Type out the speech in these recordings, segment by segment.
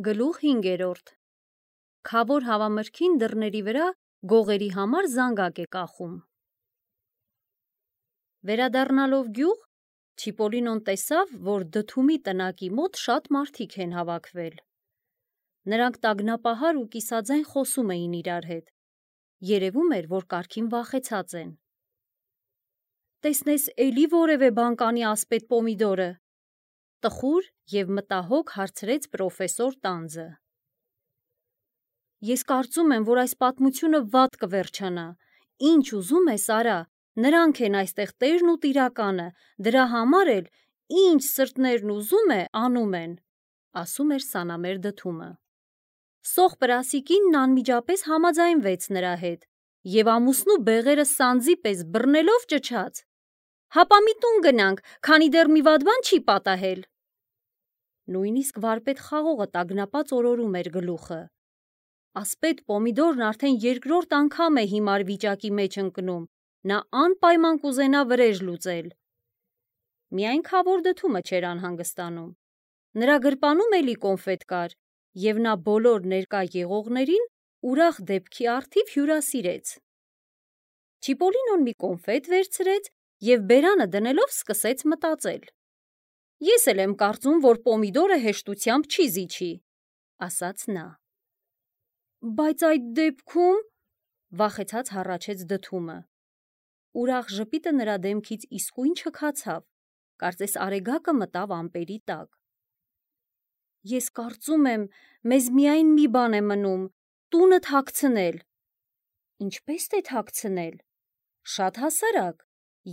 Գլուխ 5. Քավոր հավամրգին դռների վրա գողերի համար զանգակ է կախում։ Վերադառնալով գյուղ, Չիպոլինոն տեսավ, որ Դդումի տնակի մոտ շատ մարդիկ են հավաքվել։ Նրանք տագնապահար ու կիսաձայն խոսում էին իրար հետ։ Երևում էր, որ կարգին վախեցած են։ Տեսնես էլի որևէ բան կանի ասպետ Պոմիդորը, տխուր և մտահոգ հարցրեց պրոֆեսոր Տանձը։ Ես կարծում եմ, որ այս պատմությունը վատ կվերջանա, ինչ ուզում ես արա, նրանք են այստեղ տերն ու տիրականը, դրա համար էլ ինչ սրտներն ուզում է, անում են, ասում էր սանամեր Դդումը։ Սոխ պրասիկինն անմիջապես համաձայնվեց նրա հետ և ամուսնու բեղերը սանձի պես բռնելով ճչաց. «Հապա մի տուն գնանք, քանի դեռ մի վատ բան չի պատահել»։ Նույնիսկ վարպետ Խաղողը տագնապած օրորում էր գլուխը։ Ասպետ Պոմիդորն արդեն երկրորդ անգամ է հիմար վիճակի մեջ ընկնում, նա անպայման կուզենա վրեժ լուծել։ Միայն Քավոր Դդումը չէր անհանգստանում։ Նրա գրպանում էլի կոնֆետ կար, և նա բոլոր ներկա եղողներին ուրախ դեպքի առթիվ հյուրասիրեց։ Չիպոլինոն մի կոնֆետ վերցրեց և բերանը դնելով սկսեց մտածել։ Ես էլ եմ կարծում, որ Պոմիդորը հեշտությամբ չի զիջի, ասաց նա։ Բայց այդ դեպքում, վախեցած հառաչեց Դդումը։ Ուրախ ժպիտը նրա դեմքից իսկույն չքացավ, կարծես արեգակը մտավ ամպերի տակ։ Ես կարծում եմ, մեզ միայն մի բան է մնում, տունը թաքցնել։ Ինչպե՞ս թե թաքցնել։ Շատ հասարակ,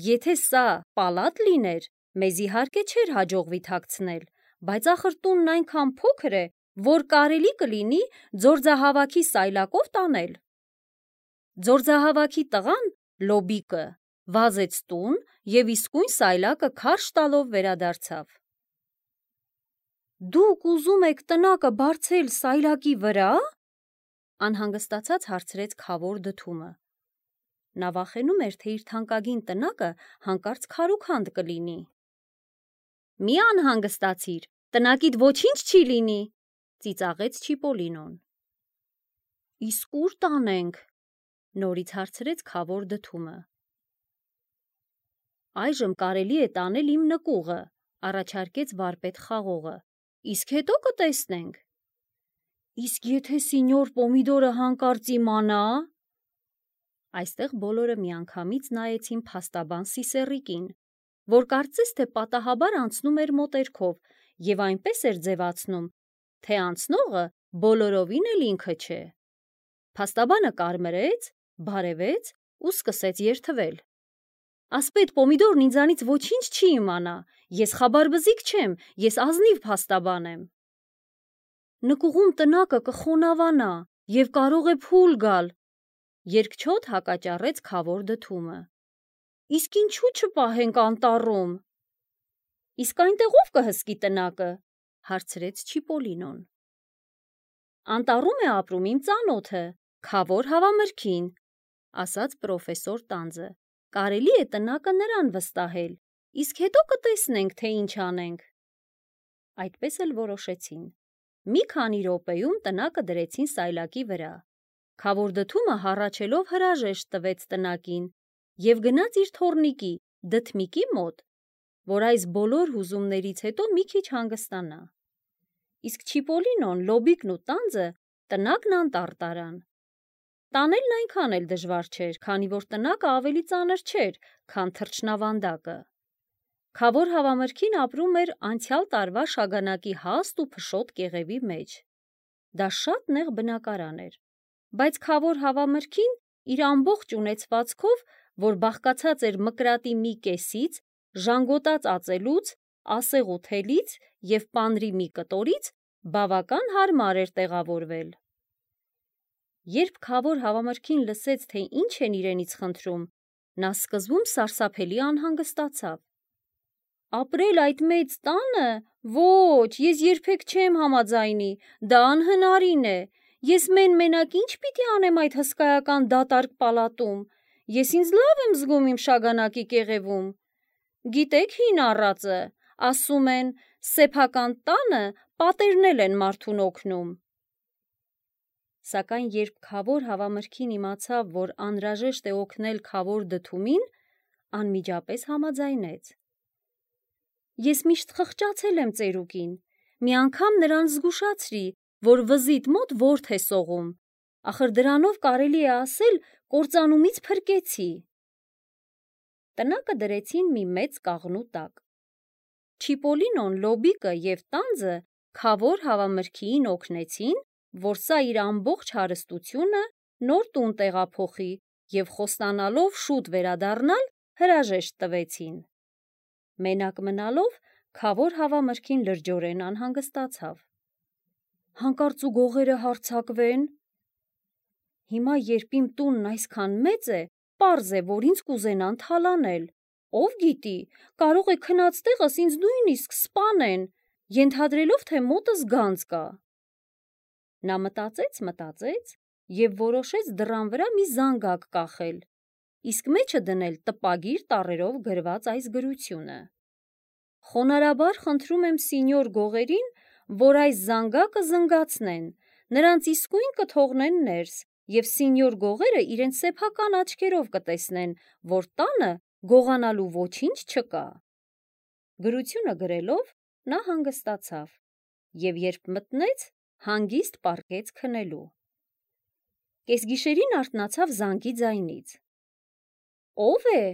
եթե սա պալատ լիներ, մեզ իհարկե չէր հաջողվի թաքցնել, բայց ախր տունն այնքան փոքր է, որ կարելի կլինի ձորձահավաքի սայլակով տանել։ Ձորձահավաքի տղան, Լոբիկը, վազեց տուն և իսկույն սայլակը քարշ տալով վերադարձավ։ Դուք ուզում եք տնակը բարձել սայլակի վրա՞։ Անհանգստացած հարցրեց Քավոր Դդումը։ Նա վախենում էր, թե իր թանկագին տնակը հանկարծ քարուքանդ կլինի։ Մի անհանգստացիր, տնակիդ ոչինչ չի լինի, ծիծաղեց Չիպոլինոն։ Իսկ ուր տանենք, նորից հարցրեց Քավոր Դդումը։ Այժմ կարելի է տանել իմ նկուղը, առաջարկեց վարպետ Խաղողը, իսկ հետո կտեսնենք։ Իսկ եթե սինյոր Պոմիդորը հանկարծ իմանա։ Այստեղ բոլորը միանգամից նայեցին փաստաբան Սիսեռիկին, որ կարծես թե պատահաբար անցնում էր մոտերքով և այնպես էր ձևացնում, թե անցնողը բոլորովին էլ ինքը չէ։ Փաստաբանը կարմրեց, բարևեց ու սկսեց երդվել։ Ասպետ Պոմիդորն ինձանից ոչինչ չի իմանա, ես խաբարբզիկ չեմ, ես ազնիվ փաստաբան եմ։ Նկուղում տնակը կխոնավանա և կարող է փուլ գալ, երկչոտ հակաճառեց Քավոր Դդումը։ Իսկ ինչու չպահենք անտառում։ Իսկ այնտեղ ով կհսկի տնակը, հարցրեց Չիպոլինոն։ Անտառում է ապրում իմ ծանոթը, Քավոր հավամրգին, ասաց պրոֆեսոր Տանձը։ Կարելի է տնակը նրան վստահել, իսկ հետո կտեսնենք, թե ինչ անենք։ Այդպես էլ որոշեցին։ Մի քանի րոպեում տնակը դրեցին սայլակի վրա։ Քավոր Դդումը հառաչելով հրաժեշտ տվեց տնակին և գնաց իր թոռնիկի Դդմիկի մոտ, որ այս բոլոր հուզումներից հետո մի քիչ հանգստանա։ Իսկ Չիպոլինոն, Լոբիկն ու Տանձը տնակն անտառ տարան։ Տանելն այնքան էլ դժվար չէր, քանի որ տնակը ավելի ծանր չէր, քան թռչնավանդակը։ Քավոր հավամրգին ապրում էր անցյալ տարվա շագանակի հաստ ու փշոտ կեղևի մեջ։ Դա շատ նեղ բնակարան էր, բայց Քավոր հավամրգին իր ամբողջ ունեցվածքով, որ բաղկացած էր մկրատի մի կեսից, ժանգոտած ածելուց, ասեղու թելից և պանրի մի կտորից, բավական հարմար էր տեղավորվել։ Երբ Քավոր հավամրգին լսեց, թե ինչ են իրենից խնդրում, նա սկզբում սարսափելի անհանգստացավ։ Ապրել այդ մեծ տանը, ոչ, ես երբեք չեմ համաձայնի, դա անհնարին է, ես մենակ ինչ պիտի անեմ այդ հսկայական դատարկ պալատում, ես ինձ լավ եմ զգում իմ շագանակի կեղևում։ Գիտեք հին առածը, ասում են, սեփական տանը պատերնել են մարդուն օգնում։ Սակայն երբ Քավոր հավամրգին իմացավ, որ անհրաժեշտ է օգնել Քավոր դդումին, անմիջապես համաձայնեց։ Ես միշտ խղճացել եմ ծերուկին, մի անգամ նրան զգուշացրի, որ վզիտ մոտ ворթ է սողում, ախր դրանով կարելի է ասել կործանումից փրկեցի։ Տնակը դրեցին մի մեծ կաղնու տակ։ Չիպոլինոն, Լոբիկը և տանձը Քավոր հավամրգիին օգնեցին, որ սա իր ամբողջ հարստությունը նոր տուն տեղափոխի և խոստանալով շուտ վերադառնալ հրաժեշտ տվեցին։ Մենակ մնալով Քավոր հավամրգին լրջորեն անհանգստացավ։ Հանկարծ ու գողերը հարձակվեն։ Հիմա երբ իմ տունն այսքան մեծ է, պարզ է, որ ինձ կուզենան թալանել։ Ով գիտի, կարող է քնած տեղս ինձ նույնիսկ սպանեն, ենթադրելով, թե մոտս գանձ կա։ Նա մտածեց և որոշեց դռան վրա մի զանգակ կախել, իսկ մեջը դնել տպագիր տառերով գրված այս գրությունը. Խոնարհաբար խնդրում եմ սինյոր գողերին, որ այս զանգակը զնգացնեն, նրանց իսկույն կթողնեն ներս, և սինյոր գողերը իրենց սեփական աչքերով կտեսնեն, որ տանը գողանալու ոչինչ չկա։ Գրությունը գրելով նա հանգստացավ, և երբ մտնեց, հանգիստ պառկեց քնելու։ Կեսգիշերին արթնացավ զանգի ձայնից։ Ո՞վ է,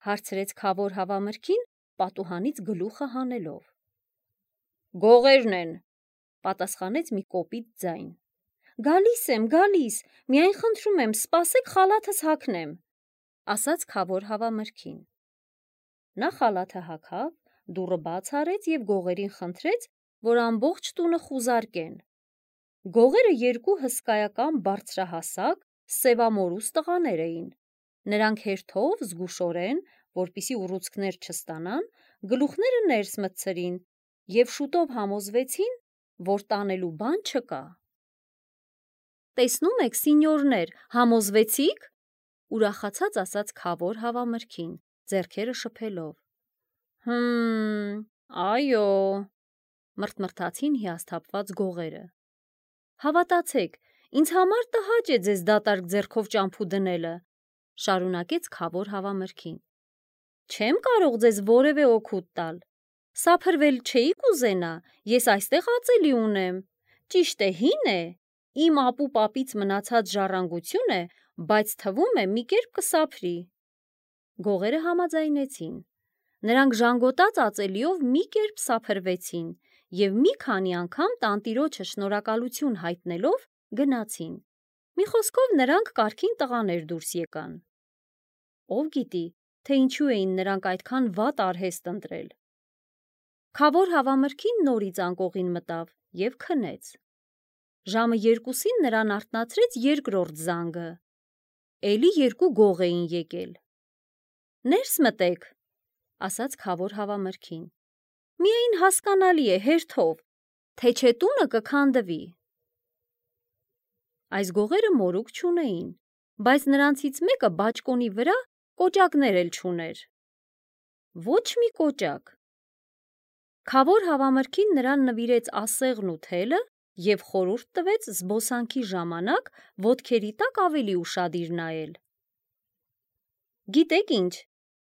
հարցրեց Քավոր հավամրգին, պատուհանից գլուխը հանելով։ Գողերն են, պատասխանեց մի կոպիտ ձայն։ Գալիս եմ, միայն խնդրում եմ, սպասեք խալաթս հագնեմ, ասաց Քավոր հավամրգին։ Նա խալաթը հագավ, դուռը բաց արեց և գողերին խնդրեց, որ ամբողջ տունը խուզարկեն։ Գողերը երկու հսկայական բարձրահասակ, սևամորուս տղաներ էին։ Նրանք հերթով զգուշորեն, որպեսզի ուռուցքներ չստանան, գլուխները ներս մտցրին և շուտով համոզվեցին, որ տանելու բան չկա։ Տեսնում եք, սինյորներ, համոզվեցի՞ք, ուրախացած ասաց Քավոր հավամրգին, ձեռքերը շփելով։ Այո, մռթմռթացին հիասթափված գողերը։ Հավատացեք, ինձ համար տհաճ է ձեզ դատարկ ձեռքով ճամփու դնելը, շարունակեց Քավոր հավամրգին։ Չեմ կարող ձեզ որևէ օգուտ տալ։ Սափրվել չէիք ուզենա, ես այստեղ ածելի ունեմ։ Ճիշտ է, հին է, իմ ապուպապից մնացած ժառանգություն է, բայց թվում է մի կերպ կսափրի։ Գողերը համաձայնեցին։ Նրանք ժանգոտած ածելիով մի կերպ սափրվեցին և մի քանի անգամ տանտիրոջը շնորհակալություն հայտնելով գնացին։ Մի խոսքով նրանք կարգին տղաներ դուրս եկան։ Ով գիտի, թե ինչու էին նրանք այդքան վատ արհեստ ընտրել։ Քավոր հավամրգին նորից անկողին մտավ և քնեց։ Ժամը 2-ին նրան արթնացրեց երկրորդ զանգը։ Էլի երկու գող էին եկել։ Ներս մտեք, ասաց Քավոր հավամրգին։ Միայն հասկանալի է, հերթով, թե չէ տունը կքանդվի։ Այս գողերը մորուք չունեին, բայց նրանցից մեկը բաճկոնի վրա կոճակներ էլ չուներ։ Ոչ մի կոճակ։ Քավոր հավամրգին նրան նվիրեց ասեղն ու թելը և խորհուրդ տվեց զբոսանքի ժամանակ ոտքերի տակ ավելի ուշադիր նայել։ Գիտեք ինչ,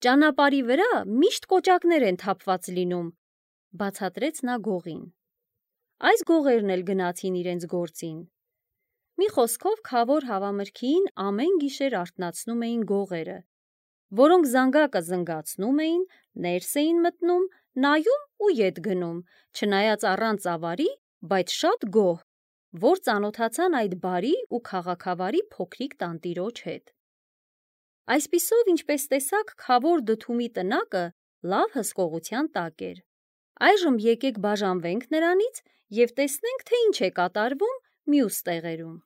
ճանապարհի վրա միշտ կոճակներ են թափված լինում, բացատրեց նա գողին։ Այս գողերն էլ գնացին իրենց գործին։ Մի խոսքով Քավոր հավամրգիին ամեն գիշեր արթնացնում էին գողերը, որոնք զանգակը զնգացնում էին, ներս էին մտնում, նայում ու ետ գնում, չնայած առանց ավարի, բայց շատ գոհ, որ ծանոթացան այդ բարի ու քաղաքավարի փոքրիկ տանտիրոջ հետ։ Այսպիսով, ինչպես տեսաք, Քավոր դդումի տնակը լավ հսկողության տակ էր։ Այժմ եկեք բաժանվենք նրանից և տեսնենք, թե ինչ է կատարվում մյուս տեղերում։